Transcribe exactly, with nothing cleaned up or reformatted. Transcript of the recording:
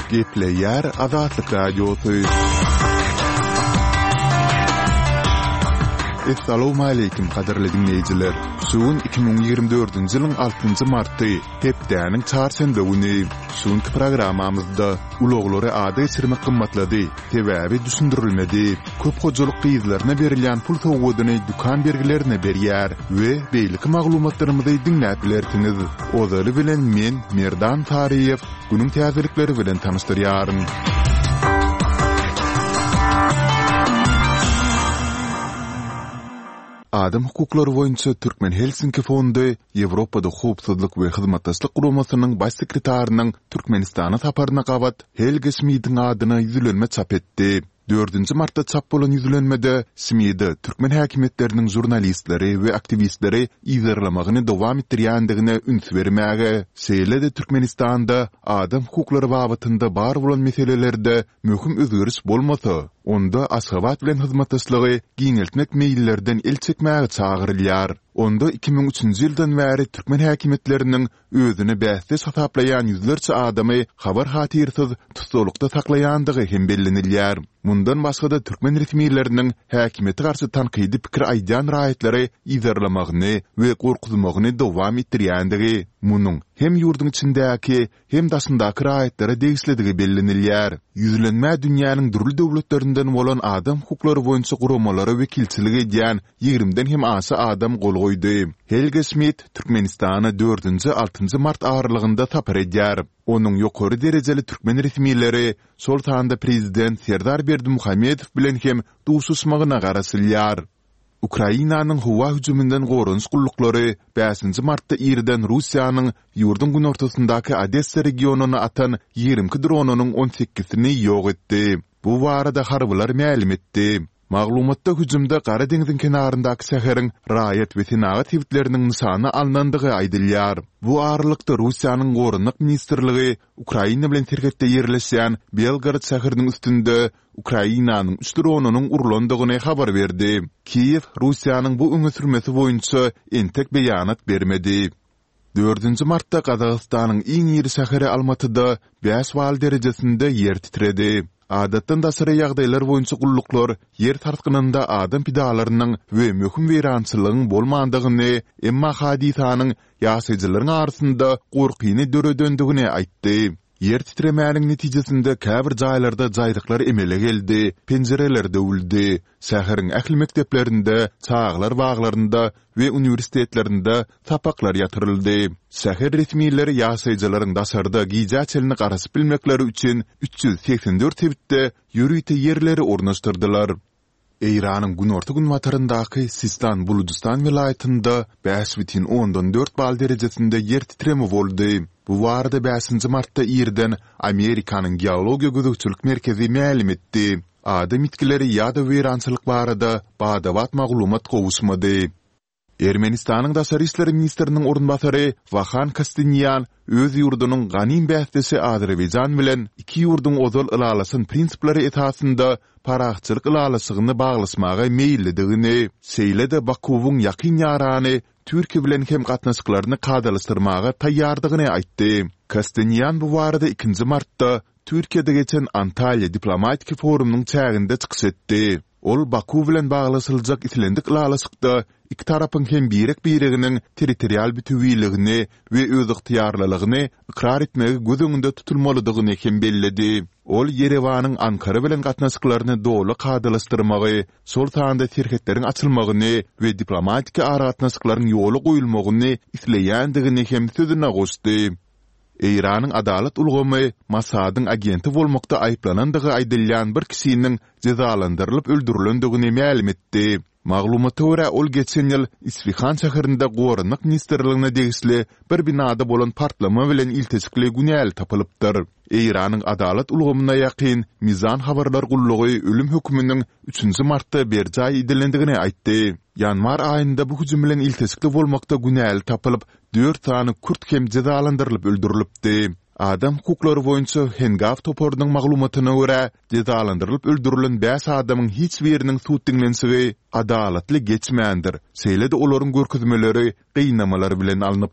Gepleýär Azatlyk Radiosy. Essalawmaleýkim gadyrly diňleýjiler! Şu gün iki müň ýigrimi dördünji ýylyň altynjy marty, hepdäniň çarşenbe güni. Şu günki programmamyzda ulaglary ada geçirmek gymmatlady, sebäbi düşündirilmedi. Köp hojalyk gyzlaryna berilýän pul sowgadyny dükan bergilerine berýär we beýleki maglumatlarymyzy diňläp bilersiňiz. Ozaly bilen men, Merdan Saryýew, günüň täzelikleri bilen tanyşdyrýaryn. Adam hukuklary boýunça Türkmen Helsinki fondy Ýewropada Howpsuzlyk we Hyzmatdaşlyk Guramasynyň Baş sekretarynyň Türkmenistana saparyna gabat Helge Şmidiň adyna ýüzlenme çap etdi. Dördünji martda çap bolan ýüzlenmede Şmide türkmen häkimiýetleriniň žurnalistleri we aktiwistleri yzarlamagyny dowam etdirýändigine üns bermäge, şeýle-de Türkmenistanda adam hukuklary babatynda bar bolan meselelerde möhüm özgeriş bolmasa, onda Aşgabat bilen hyzmatdaşlygy giňeltmek meýillerden el çekmäge çagyrylýar. Onda iki müň üçünji ýyldan bäri türkmen häkimiýetleriniň özüne bäsdeş hasaplaýan ýüzlerçe adamy habar-hatyrsyz tussaglykda saklaýandygy hem bellenilýär. Mundan başga-da türkmen resmileriniň häkimiýete garşy tankydy pikir aýdýan raýatlary yzarlamagyny we gorkuzmagyny dowam etdirýändigi, munuň hem ýurduň içindäki, hem daşyndaky raýatlara degişlidigi bellenilýär. Ýüzlenmä dünýäniň dürli döwletlerinden bolan adam hukuklary boýunça guramalara wekilçilik edýän ýigrimiden hem aşa adam gol goýdy. Helge Şmidt Türkmenistana dördünji, altynjy mart aralygynda sapar edýär. Onuň ýokary derejeli türkmen resmileri, şol sanda prezident Serdar Berdimuhamedow bilen hem duşuşmagyna garaşylýar. Ukrainanyň howa hüjüminden goranyş gulluklary bäşinji martda irden Russiýanyň ýurduň günortasyndaky Odessa regionyna atan ýigrimi iki dronynyň on sekizini ýok etdi. Bu barada harbylar mälim etdi. Maglumatda hüjümde Gara deňziň kenaryndaky şäheriň raýat we senagat sebitleriniň nyşana alnandygy aýdylýar. Bu aralykda, Russiýanyň Goranmak ministrligi Ukraina bilen serhetde ýerleşýän Belgorod şäheriniň üstünde Ukrainanyň üç dronynyň urlandygyny habar berdi. Kiýew Russiýanyň bu öňe sürmesi boýunça entek beýanat bermedi. Dördünji martda Gazagystanyň iň iri şäheri Almatyda bäş bal derejesinde ýer titredi. Adatdan daşary ýagdaýlar boýunça gulluklar ýer sarsgynynda adam pidalarynyň we möhüm weýrançylygyň bolmandygyny, emma hadysanyň ýaşaýjylaryň arasynda gorkyny döredendigini aýtdy. Ýer titremäniň netijesinde käbir jaýlarda jaýryklar emele geldi, penjireler döwüldi. Şäheriň ähli mekdeplerinde, çagalar baglarynda we uniwersitetlerinde sapaklar ýatyryldy. Şäher resmileri ýaşaýjylaryň daşarda gijä çenli garaşyp bilmekleri üçin üç ýüz segsen dört sebitde ýörite ýerleri ornaşdyrdylar. Eýranyň günorta-günbataryndaky Sistan-Bulujystan welaýatynda bäş bütin ondan dört bal derejesinde ýer titreme boldy. Bu barada bäşinji martda irden Amerikanyň Geologiýa gözegçilik merkezi mälim etdi. Adam ýitgileri ýa-da weýrançylyk barada bada-bat maglumat gowuşmady. Ermenistanyň daşary işler ministriniň orunbasary Wahan Kostiniýan öz ýurdunyň ganym bäsdeşi Azerbaýjan bilen iki ýurduň ozal ylalaşan prinsipleri esasynda parahatçylyk ylalaşygyny baglaşmaga meýillidigini, şeýle-de Bakuwyň ýakyn ýarany Türkiýe bilen hem gatnaşyklaryny kadalaşdyrmaga taýýardygyny aýtdy. Kostiniýan bu barada ikinji martda Türkiýede geçen Antalýa diplomatiki forumynyň çäginde çykyş etdi. Ol Baku bilen baglaşyljak islendik ylalaşykda iki tarapyň hem birek-bireginiň territorial bütewiligini we özygtyýarlylygyny ykrar etmegi göz öňünde tutulmalydygyny hem belledi. Ol Ýerewanyň Ankara bilen gatnaşyklaryny doly kadalaşdyrmagy, şol sanda serhetleriň açylmagyny we diplomatiki aragatnaşyklaryň ýola goýulmagyny isleýändigini hem sözüne goşdy. Eýranyň adalat ulgamy Mossadyň agenti bolmakda aýyplanandygy aýdylýan bir kişiniň jezalandyrylyp öldürilendigini mälim etdi. Maglumata görä, ol geçen ýyl Isfihan şäherinde Goranmak ministrligine degişli bir binada bolan partlama bilen ilteşikli günäli tapylypdyr. Eýranyň adalat ulgamyna ýakyn Mizan habarlar gullugy ölüm höküminiň üçünji martda berjaý edilendigini aýtdy. Ýanwar aýynda bu hüjüm bilen ilteşikli bolmakda günäli tapylyp, dört sany kürt hem jezalandyrylyp öldürilipdi. Adam hukuklary boýunça Hengaw toparynyň maglumatyna görä, jezalandyrylyp öldürilen bäş adamyň hiç biriniň sud diňlenişigi adalatly geçmändir, şeýle-de olaryň görkezmeleri gynamalar bilen alnypdyr.